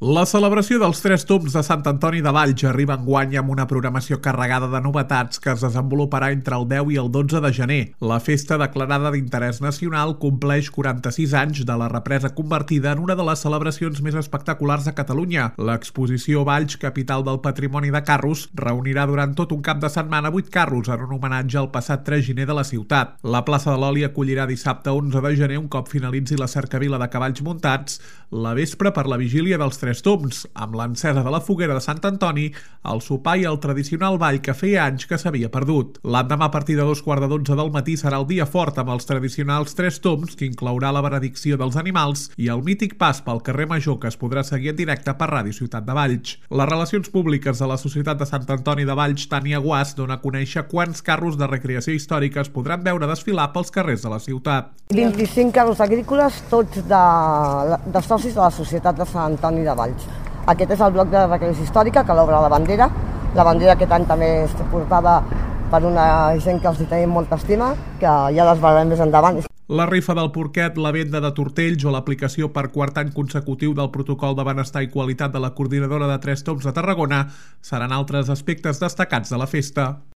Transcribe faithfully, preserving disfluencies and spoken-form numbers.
La celebració dels Tres Tombs de Sant Antoni de Valls arriba enguany amb una programació carregada de novetats que es desenvoluparà entre el deu i el dotze de gener. La festa, declarada d'interès nacional, compleix quaranta-sis anys de la represa convertida en una de les celebracions més espectaculars de Catalunya. L'exposició Valls, capital del patrimoni de carros, reunirà durant tot un cap de setmana vuit carros en un homenatge al passat tres gener de la ciutat. La plaça de l'Oli acollirà dissabte onze de gener, un cop finalitzi la cercavila de cavalls muntats, la vespre per la vigília dels Tres Tombs, amb l'encesa de la foguera de Sant Antoni, el sopar i el tradicional ball que feia anys que s'havia perdut. L'endemà, a partir de dos quarts de dotze del matí, serà el dia fort amb els tradicionals Tres Tombs, que inclourà la benedicció dels animals i el mític pas pel carrer Major, que es podrà seguir en directe per Ràdio Ciutat de Valls. Les relacions públiques de la Societat de Sant Antoni de Valls, Tània Guas, dona a conèixer quants carros de recreació històrica es podran veure desfilar pels carrers de la ciutat. vint-i-cinc carros agrícoles, tots de, de socis de la Societat de Sant Antoni de Valls. Aquest és el bloc de recreació històrica que l'obre la bandera. La bandera aquest any també és portada per una gent que els hi tenim molta estima, que ja les veurem més endavant. La rifa del porquet, la venda de tortells o l'aplicació per quart any consecutiu del protocol de benestar i qualitat de la coordinadora de Tres Tombs de Tarragona seran altres aspectes destacats de la festa.